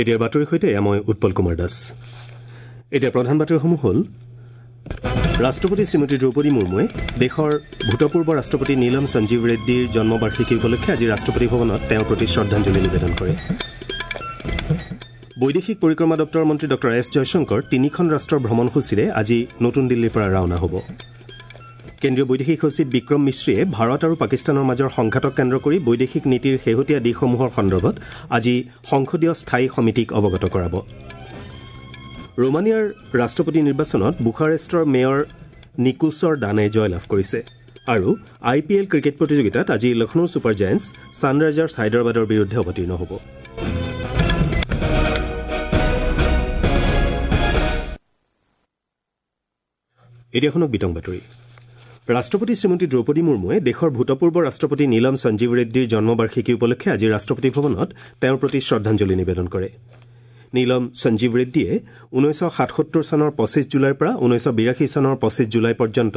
এতিয়াৰ বাতৰিৰ সৈতে এয়া মই উৎপল কুমাৰ দাস। এতিয়া প্ৰধান বাতৰিসমূহ হ'ল: ৰাষ্ট্ৰপতি শ্ৰীমতী দ্ৰৌপদী মুৰ্মুৱে দেশৰ ভূতপূৰ্ব ৰাষ্ট্ৰপতি নীলম সঞ্জীৱ ৰেড্ডীৰ জন্মবাৰ্ষিকী উপলক্ষে আজি ৰাষ্ট্ৰপতি ভৱনত তেওঁৰ প্ৰতি শ্ৰদ্ধাঞ্জলি নিবেদন কৰে। বৈদেশিক পৰিক্ৰমা দপ্তৰৰ মন্ত্ৰী ডঃ এছ জয়শংকৰ তিনিখন ৰাষ্ট্ৰৰ ভ্ৰমণসূচীৰে আজি নতুন দিল্লীৰ পৰা ৰাওনা হ'ব। কেন্দ্ৰীয় বৈদেশিক সচিব বিক্ৰম মিশ্ৰীয়ে ভাৰত আৰু পাকিস্তানৰ মাজৰ সংঘাতক কেন্দ্ৰ কৰি বৈদেশিক নীতিৰ শেহতীয়া দিশসমূহৰ সন্দৰ্ভত আজি সংসদীয় স্থায়ী সমিতিক অৱগত কৰাব। ৰোমানিয়াৰ ৰাষ্ট্ৰপতি নিৰ্বাচনত বুখাৰেষ্টৰ মেয়ৰ নিকোছৰ দানে জয়লাভ কৰিছে। আৰু আই পি এল ক্ৰিকেট প্ৰতিযোগিতাত আজি লক্ষ্ণৌ ছুপাৰ জায়েণ্টছ ছানৰাইজাৰ্ছ হায়দৰাবাদৰ বিৰুদ্ধে অৱতীৰ্ণ হ'ব। এতিয়া শুনক বিতং বাতৰি। ৰাষ্ট্ৰপতি শ্ৰীমতী দ্ৰৌপদী মুৰ্মুৱে দেশৰ ভূতপূৰ্ব ৰাষ্ট্ৰপতি নীলম সঞ্জীৱ ৰেড্ডীৰ জন্মবাৰ্ষিকী উপলক্ষে আজি ৰাষ্ট্ৰপতি ভৱনত তেওঁৰ প্ৰতি শ্ৰদ্ধাঞ্জলি নিবেদন কৰে। নীলম সঞ্জীৱ ৰেড্ডীয়ে 1977 চনৰ 25 জুলাইৰ পৰা 1982 চনৰ 25 জুলাই পৰ্যন্ত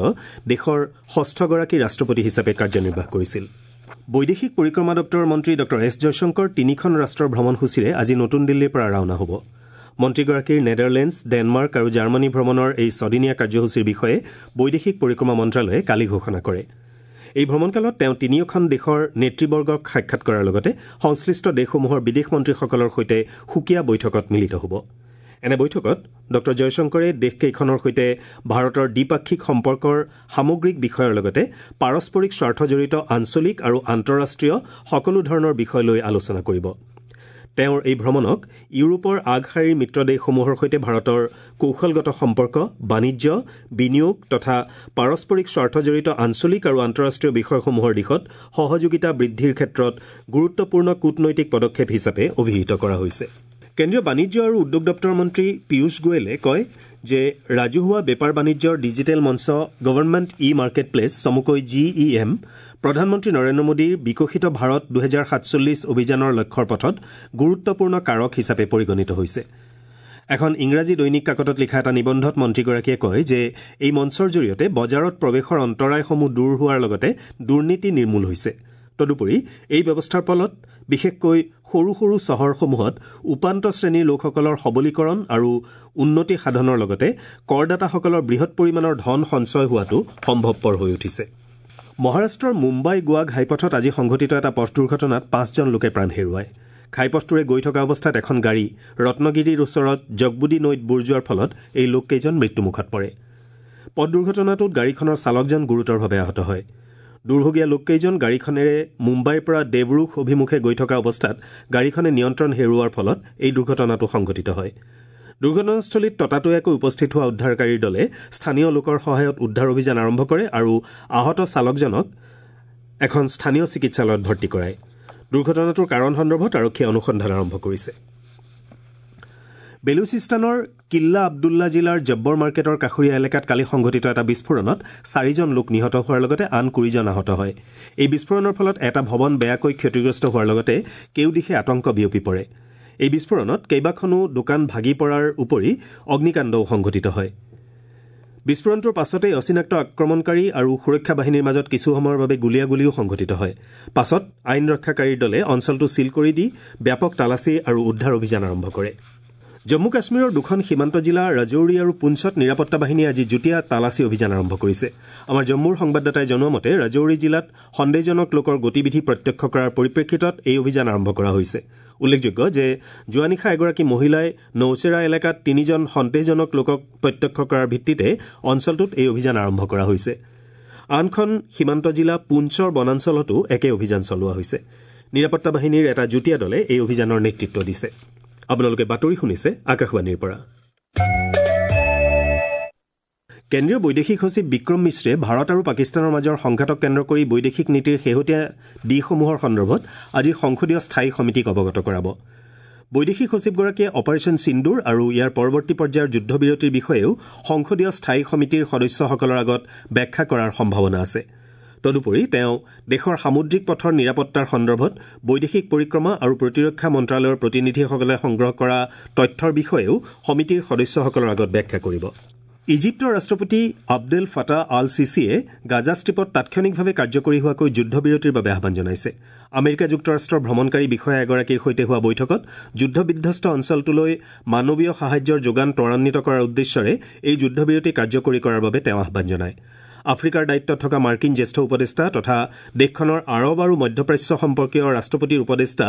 দেশৰ ষষ্ঠগৰাকী ৰাষ্ট্ৰপতি হিচাপে কাৰ্যনিৰ্বাহ কৰিছিল। বৈদেশিক পৰিক্ৰমা দপ্তৰৰ মন্ত্ৰী ডঃ এছ জয়শংকৰ তিনিখন ৰাষ্ট্ৰৰ ভ্ৰমণসূচীৰে আজি নতুন দিল্লীৰ পৰা ৰাওনা হ'ব। মন্ত্ৰীগৰাকীৰ নেডাৰলেণ্ডছ, ডেনমাৰ্ক আৰু জাৰ্মানী ভ্ৰমণৰ এই ছদিনীয়া কাৰ্যসূচীৰ বিষয়ে বৈদেশিক পৰিক্ৰমা মন্ত্ৰালয়ে কালি ঘোষণা কৰে। এই ভ্ৰমণকালত তেওঁ তিনিওখন দেশৰ নেতৃবৰ্গক সাক্ষাৎ কৰাৰ লগতে সংশ্লিষ্ট দেশসমূহৰ বিদেশ মন্ত্ৰীসকলৰ সৈতে সুকীয়া বৈঠকত মিলিত হ'ব। এনে বৈঠকত ডঃ জয়শংকৰে দেশকেইখনৰ সৈতে ভাৰতৰ দ্বিপাক্ষিক সম্পৰ্কৰ সামগ্ৰিক বিষয়ৰ লগতে পাৰস্পৰিক স্বাৰ্থজড়িত আঞ্চলিক আৰু আন্তঃৰাষ্ট্ৰীয় সকলো ধৰণৰ বিষয় লৈ আলোচনা কৰিব। তেওঁৰ এই ভ্ৰমণক ইউৰোপৰ আগশাৰীৰ মিত্ৰ দেশসমূহৰ সৈতে ভাৰতৰ কৌশলগত সম্পৰ্ক, বাণিজ্য, বিনিয়োগ তথা পাৰস্পৰিক স্বাৰ্থজড়িত আঞ্চলিক আৰু আন্তঃৰাষ্ট্ৰীয় বিষয়সমূহৰ দিশত সহযোগিতা বৃদ্ধিৰ ক্ষেত্ৰত গুৰুত্বপূৰ্ণ কূটনৈতিক পদক্ষেপ হিচাপে অভিহিত কৰা হৈছে। কেন্দ্ৰীয় বাণিজ্য আৰু উদ্যোগ দপ্তৰৰ মন্ত্ৰী পীয়ুষ গোৱেলে কয় যে ৰাজহুৱা বেপাৰ বাণিজ্যৰ ডিজিটেল মঞ্চ গভৰ্ণমেণ্ট ই মাৰ্কেট প্লেচ চমুকৈ জি ই এম প্ৰধানমন্ত্ৰী নৰেন্দ্ৰ মোদীৰ বিকশিত ভাৰত 2047 অভিযানৰ লক্ষ্যৰ পথত গুৰুত্বপূৰ্ণ কাৰক হিচাপে পৰিগণিত হৈছে। এখন ইংৰাজী দৈনিক কাকতত লিখা এটা নিবন্ধত মন্ত্ৰীগৰাকীয়ে কয় যে এই মঞ্চৰ জৰিয়তে বজাৰত প্ৰৱেশৰ অন্তৰায়সমূহ দূৰ হোৱাৰ লগতে দুৰ্নীতি নিৰ্মূল হৈছে। তদুপৰি এই ব্যৱস্থাৰ ফলত বিশেষকৈ সৰু সৰু চহৰসমূহত উপান্ত শ্ৰেণীৰ লোকসকলৰ সবলীকৰণ আৰু উন্নতি সাধনৰ লগতে কৰদাতাসকলৰ বৃহৎ পৰিমাণৰ ধন সঞ্চয় হোৱাটো সম্ভৱপৰ হৈ উঠিছে। মহাৰাষ্ট্ৰৰ মুম্বাই গোৱা ঘাইপথত আজি সংঘটিত এটা পথ দুৰ্ঘটনাত 5জন লোকে প্ৰাণ হেৰুৱায়। ঘাইপথটোৰে গৈ থকা অৱস্থাত এখন গাড়ী ৰত্নগিৰিৰ ওচৰত জগবুডি নৈত বুৰ যোৱাৰ ফলত এই লোককেইজন মৃত্যুমুখত পৰে। পথ দুৰ্ঘটনাটোত গাড়ীখনৰ চালকজন গুৰুতৰভাৱে আহত হয়। দুৰ্ভগীয়া লোককেইজন গাড়ীখনেৰে মুম্বাইৰ পৰা দেৱৰুখ অভিমুখে গৈ থকা অৱস্থাত গাড়ীখনে নিয়ন্ত্ৰণ হেৰুওৱাৰ ফলত এই দুৰ্ঘটনাটো সংঘটিত হয়। দুৰ্ঘটনাস্থলীত ততাতৈয়াকৈ উপস্থিত হোৱা উদ্ধাৰকাৰীৰ দলে স্থানীয় লোকৰ সহায়ত উদ্ধাৰ অভিযান আৰম্ভ কৰে আৰু আহত চালকজনক এখন স্থানীয় চিকিৎসালয়ত ভৰ্তি কৰায়। দুৰ্ঘটনাটোৰ কাৰণ সন্দৰ্ভত আৰক্ষীয়ে অনুসন্ধান আৰম্ভ কৰিছে। বেলুচিস্তানৰ কিল্লা আব্দুল্লা জিলাৰ জব্বৰ মাৰ্কেটৰ কাষৰীয়া এলেকাত কালি সংঘটিত এটা বিস্ফোৰণত 4জন লোক নিহত হোৱাৰ লগতে আন 20জন আহত হয়। এই বিস্ফোৰণৰ ফলত এটা ভৱন বেয়াকৈ ক্ষতিগ্ৰস্ত হোৱাৰ লগতে কেউদিশে আতংক বিয়পি পৰে। এই বিস্ফোৰণত কেইবাখনো দোকান ভাগি পৰাৰ উপৰি অগ্নিকাণ্ডও সংঘটিত হয়। বিস্ফোৰণটোৰ পাছতেই অচিনাক্ত আক্ৰমণকাৰী আৰু সুৰক্ষা বাহিনীৰ মাজত কিছু সময়ৰ বাবে গুলীয়াগুলীও সংঘটিত হয়। পাছত আইন ৰক্ষাকাৰীৰ দলে অঞ্চলটো ছীল কৰি দি ব্যাপক তালাচী আৰু উদ্ধাৰ অভিযান আৰম্ভ কৰে। জম্মু কাশ্মীৰৰ দুখন সীমান্ত জিলা ৰাজৌৰি আৰু পুঞ্চত নিৰাপত্তা বাহিনীয়ে আজি যুটীয়া তালাচী অভিযান আৰম্ভ কৰিছে। আমাৰ জম্মুৰ সংবাদদাতাই জনোৱা মতে ৰাজৌৰি জিলাত সন্দেহজনক লোকৰ গতিবিধি প্ৰত্যক্ষ কৰাৰ পৰিপ্ৰেক্ষিতত এই অভিযান আৰম্ভ কৰা হৈছে। উল্লেখযোগ্য যে যোৱা নিশা এগৰাকী মহিলাই নৌচেৰা এলেকাত 3জন সন্দেহজনক লোকক প্ৰত্যক্ষ কৰাৰ ভিত্তিতে অঞ্চলটোত এই অভিযান আৰম্ভ কৰা হৈছে। আনখন সীমান্ত জিলা পুঞ্চৰ বনাঞ্চলতো একে অভিযান চলোৱা হৈছে। নিৰাপত্তা বাহিনীৰ এটা যুটীয়া দলে এই অভিযানৰ নেতৃত্ব দিছে। আপোনালোকে বাতৰি শুনিছে আকাশবাণীৰ পৰা। কেন্দ্ৰীয় বৈদেশিক সচিব বিক্ৰম মিশ্ৰে ভাৰত আৰু পাকিস্তানৰ মাজৰ সংঘাতক কেন্দ্ৰ কৰি বৈদেশিক নীতিৰ শেহতীয়া দিশসমূহৰ সন্দৰ্ভত আজি সংসদীয় স্থায়ী সমিতিক অৱগত কৰাব। বৈদেশিক সচিবগৰাকীয়ে অপাৰেশ্যন সিন্দুৰ আৰু ইয়াৰ পৰৱৰ্তী পৰ্যায়ৰ যুদ্ধবিৰতিৰ বিষয়েও সংসদীয় স্থায়ী সমিতিৰ সদস্যসকলৰ আগত ব্যাখ্যা কৰাৰ সম্ভাৱনা আছে। তদুপৰি তেওঁ দেশৰ সামুদ্ৰিক পথৰ নিৰাপত্তাৰ সন্দৰ্ভত বৈদেশিক পৰিক্ৰমা আৰু প্ৰতিৰক্ষা মন্ত্ৰালয়ৰ প্ৰতিনিধিসকলে সংগ্ৰহ কৰা তথ্যৰ বিষয়েও সমিতিৰ সদস্যসকলৰ আগত ব্যাখ্যা কৰিব। ইজিপ্তৰ ৰাষ্ট্ৰপতি আব্দেল ফাটা আল চিচিয়ে গাজা ষ্ট্ৰীপত তাৎক্ষণিকভাৱে কাৰ্যকৰী হোৱাকৈ যুদ্ধবিৰতিৰ বাবে আহ্বান জনাইছে। আমেৰিকা যুক্তৰাষ্ট্ৰৰ ভ্ৰমণকাৰী বিষয়া এগৰাকীৰ সৈতে হোৱা বৈঠকত যুদ্ধবিধ্বস্ত অঞ্চলটোলৈ মানৱীয় সাহায্যৰ যোগান ত্বৰান্বিত কৰাৰ উদ্দেশ্যৰে এই যুদ্ধবিৰতি কাৰ্যকৰী কৰাৰ বাবে তেওঁ আহ্বান জনায়। আফ্ৰিকাৰ দায়িত্বত থকা মাৰ্কিন জ্যেষ্ঠ উপদেষ্টা তথা দেশখনৰ আৰৱ আৰু মধ্যপ্ৰাচ্য সম্পৰ্কীয় ৰাষ্ট্ৰপতিৰ উপদেষ্টা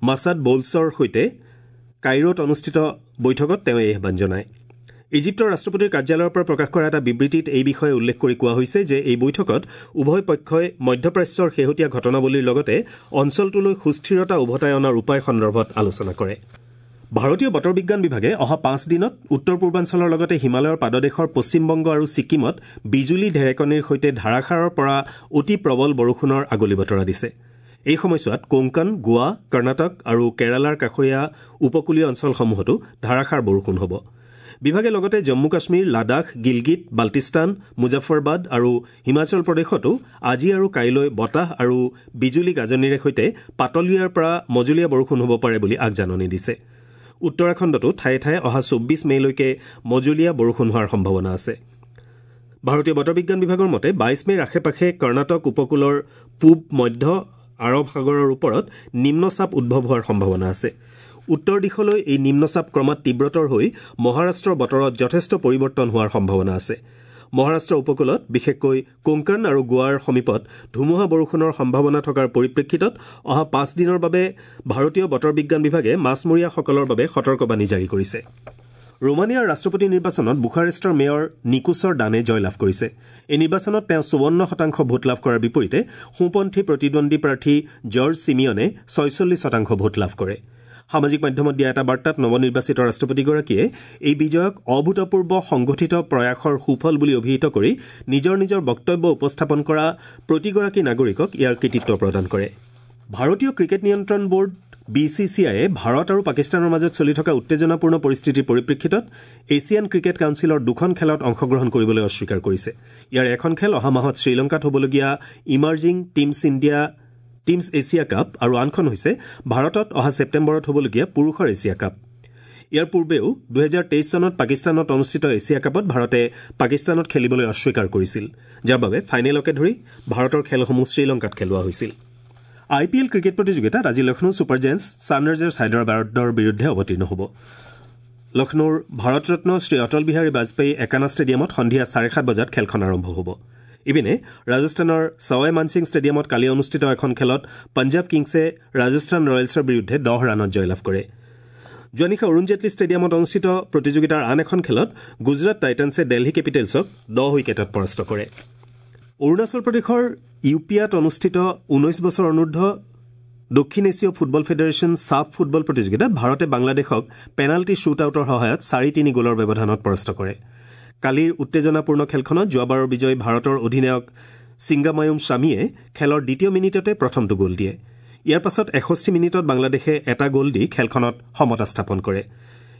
মাছাদ বৌলছৰ সৈতে কাইৰোত অনুষ্ঠিত বৈঠকত তেওঁ এই আহ্বান জনায়। ইজিপ্তৰ ৰাষ্ট্ৰপতিৰ কাৰ্যালয়ৰ পৰা প্ৰকাশ কৰা এটা বিবৃতিত এই বিষয়ে উল্লেখ কৰি কোৱা হৈছে যে এই বৈঠকত উভয় পক্ষই মধ্যপ্ৰাচ্যৰ শেহতীয়া ঘটনাৱলীৰ লগতে অঞ্চলটোলৈ সুস্থিৰতা উভতাই অনাৰ উপায় সন্দৰ্ভত আলোচনা কৰে। ভাৰতীয় বতৰ বিজ্ঞান বিভাগে অহা 5 দিনত উত্তৰ পূৰ্বাঞ্চলৰ লগতে হিমালয়ৰ পাদদেশৰ পশ্চিমবংগ আৰু ছিকিমত বিজুলী ঢেৰেকনিৰ সৈতে ধাৰাসাৰৰ পৰা অতি প্ৰবল বৰষুণৰ আগলি বতৰা দিছে। এই সময়ছোৱাত কোংকন, গোৱা, কৰ্ণাটক আৰু কেৰালাৰ কাষৰীয়া উপকূলীয় অঞ্চলসমূহতো ধাৰাসাৰ বৰষুণ হ'ব। বিভাগে লগতে জম্মু কাশ্মীৰ, লাডাখ, গিলগিট বাল্টিস্তান, মুজাফৰবাদ আৰু হিমাচল প্ৰদেশতো আজি আৰু কাইলৈ বতাহ আৰু বিজুলী গাজনিৰে সৈতে পাতলীয়াৰ পৰা মজলীয়া বৰষুণ হ'ব পাৰে বুলি আগজাননী দিছে। উত্তৰাখণ্ডতো ঠায়ে ঠায়ে অহা 24 মে'লৈকে মজলীয়া বৰষুণ হোৱাৰ সম্ভাৱনা আছে। ভাৰতীয় বতৰ বিজ্ঞান বিভাগৰ মতে 22 মে'ৰ আশে পাশে কৰ্ণাটক উপকূলৰ পূব মধ্য আৰৱ সাগৰৰ ওপৰত নিম্নচাপ উদ্ভৱ হোৱাৰ সম্ভাৱনা আছে। উত্তৰ দিশলৈ এই নিম্নচাপ ক্ৰমাৎ তীব্ৰতৰ হৈ মহাৰাষ্ট্ৰৰ বতৰত যথেষ্ট পৰিৱৰ্তন হোৱাৰ সম্ভাৱনা আছে। মহাৰাষ্ট্ৰ উপকূলত বিশেষকৈ কোংকন আৰু গোৱাৰ সমীপত ধুমুহা বৰষুণৰ সম্ভাৱনা থকাৰ পৰিপ্ৰেক্ষিতত অহা 5 দিনৰ বাবে ভাৰতীয় বতৰ বিজ্ঞান বিভাগে মাছমৰীয়াসকলৰ বাবে সতৰ্কবাণী জাৰি কৰিছে। ৰোমানিয়াৰ ৰাষ্ট্ৰপতি নিৰ্বাচনত বুখাৰেষ্টৰ মেয়ৰ নিকোছৰ দানে জয়লাভ কৰিছে। এই নিৰ্বাচনত তেওঁ 54% ভোট লাভ কৰাৰ বিপৰীতে সোঁপন্থী প্ৰতিদ্বন্দ্বী প্ৰাৰ্থী জৰ্জ চিমিয়নে 46% ভোট লাভ কৰে। সামাজিক মাধ্যমত দিয়া এটা বাৰ্তাত নৱনিৰ্বাচিত ৰাষ্ট্ৰপতিগৰাকীয়ে এই বিজয়ক অভূতপূৰ্ব সংগঠিত প্ৰয়াসৰ সুফল বুলি অভিহিত কৰি নিজৰ নিজৰ বক্তব্য উপস্থাপন কৰা প্ৰতিগৰাকী নাগৰিকক ইয়াৰ কৃতিত্ব প্ৰদান কৰে। ভাৰতীয় ক্ৰিকেট নিয়ন্ত্ৰণ বোৰ্ড BCCIয়ে ভাৰত আৰু পাকিস্তানৰ মাজত চলি থকা উত্তেজনাপূৰ্ণ পৰিস্থিতিৰ পৰিপ্ৰেক্ষিতত এছিয়ান ক্ৰিকেট কাউন্সিলৰ 2খন খেলত অংশগ্ৰহণ কৰিবলৈ অস্বীকাৰ কৰিছে। ইয়াৰ এখন খেল অহা মাহত শ্ৰীলংকাত হ'বলগীয়া ইমাৰ্জিং টিমছ এছিয়া কাপ আৰু আনখন হৈছে ভাৰতত অহা ছেপ্টেম্বৰত হ'বলগীয়া পুৰুষৰ এছিয়া কাপ। ইয়াৰ পূৰ্বেও 2023 চনত পাকিস্তানত অনুষ্ঠিত এছিয়া কাপত ভাৰতে পাকিস্তানত খেলিবলৈ অস্বীকাৰ কৰিছিল, যাৰ বাবে ফাইনেলকে ধৰি ভাৰতৰ খেলসমূহ শ্ৰীলংকাত খেলোৱা হৈছিল। IPL cricket প্ৰতিযোগিতাত আজি লক্ষ্ণৌ ছুপাৰ জায়েণ্টছ ছানৰাইজাৰ্ছ হায়দৰাবাদৰ বিৰুদ্ধে অৱতীৰ্ণ হ'ব। লক্ষ্ণৌৰ ভাৰতৰত্ন শ্ৰী অটল বিহাৰী বাজপেয়ী একানা ষ্টেডিয়ামত সন্ধিয়া 7:30 বজাত খেলখন আৰম্ভ হ'ব। ইপিনে ৰাজস্থানৰ ছাৱাই মানসিং ষ্টেডিয়ামত কালি অনুষ্ঠিত এখন খেলত পঞ্জাৱ কিংছে ৰাজস্থান ৰয়েলছৰ বিৰুদ্ধে 10 ৰানত জয়লাভ কৰে। যোৱা নিশা অৰুণ জেটলী ষ্টেডিয়ামত অনুষ্ঠিত প্ৰতিযোগিতাৰ আন এখন খেলত গুজৰাট টাইটানছে দেলহি কেপিটেলছক 10 উইকেটত পৰাস্ত কৰে। অৰুণাচল প্ৰদেশৰ ইউপিয়াত অনুষ্ঠিত 19 বছৰ অনুৰ্ধ দক্ষিণ এছীয় ফুটবল ফেডাৰেশ্যন ছাফ ফুটবল প্ৰতিযোগিতাত ভাৰতে বাংলাদেশক পেনাল্টি শ্বুট আউটৰ সহায়ত 4-3 গ'লৰ ব্যৱধানত পৰাস্ত কৰে। কালিৰ উত্তেজনাপূৰ্ণ খেলখনত যোৱাবাৰৰ বিজয়ী ভাৰতৰ অধিনায়ক ছিংগামায়ুম শ্বামীয়ে খেলৰ দ্বিতীয় মিনিটতে প্ৰথমটো গ'ল দিয়ে। ইয়াৰ পাছত 61 মিনিটত বাংলাদেশে এটা গ'ল দি খেলখনত সমতা স্থাপন কৰে।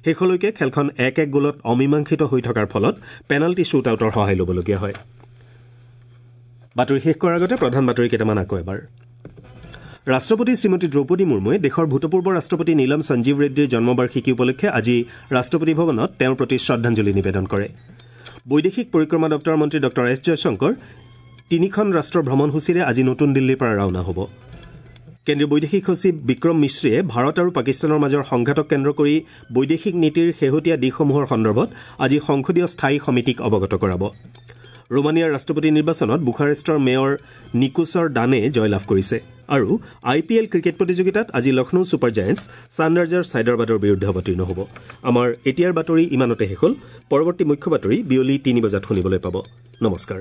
শেষলৈকে খেলখন 1-1 গ'লত অমীমাংসিত হৈ থকাৰ ফলত পেনাল্টি শ্বুট আউটৰ সহায় ল'বলগীয়া হয়। বাতৰি শেষ কৰাৰ আগতে প্ৰধান বাতৰি কেইটামান আকৌ এবাৰ। ৰাষ্ট্ৰপতি শ্ৰীমতী দ্ৰৌপদী মুৰ্মুৱে দেশৰ ভূতপূৰ্ব ৰাষ্ট্ৰপতি নীলম সঞ্জীৱ ৰেড্ডীৰ জন্মবাৰ্ষিকী উপলক্ষে আজি ৰাষ্ট্ৰপতি ভৱনত তেওঁৰ প্ৰতি শ্ৰদ্ধাঞ্জলি নিবেদন কৰে। বৈদেশিক পৰিক্ৰমা দপ্তৰৰ মন্ত্ৰী ডঃ এছ জয়শংকৰ 3খন ৰাষ্ট্ৰৰ ভ্ৰমণসূচীৰে আজি নতুন দিল্লীৰ পৰা ৰাওনা হ'ব। কেন্দ্ৰীয় বৈদেশিক সচিব বিক্ৰম মিশ্ৰীয়ে ভাৰত আৰু পাকিস্তানৰ মাজৰ সংঘাতক কেন্দ্ৰ কৰি বৈদেশিক নীতিৰ শেহতীয়া দিশসমূহৰ সন্দৰ্ভত আজি সংসদীয় স্থায়ী সমিতিক অৱগত কৰাব। ৰোমানিয়াৰ ৰাষ্ট্ৰপতি নিৰ্বাচনত বুখাৰেষ্টৰ মেয়ৰ নিকোছৰ দানে জয়লাভ কৰিছে। আৰু IPL cricket প্ৰতিযোগিতাত আজি লক্ষ্ণৌ ছুপাৰ জায়েণ্টছ ছানৰাইজাৰ্ছ হায়দৰাবাদৰ বিৰুদ্ধে অৱতীৰ্ণ হ'ব। আমাৰ এতিয়াৰ বাতৰি ইমানতে শেষ হ'ল। পৰৱৰ্তী মুখ্য বাতৰি বিয়লি 3 বজাত শুনিবলৈ পাব। নমস্কাৰ।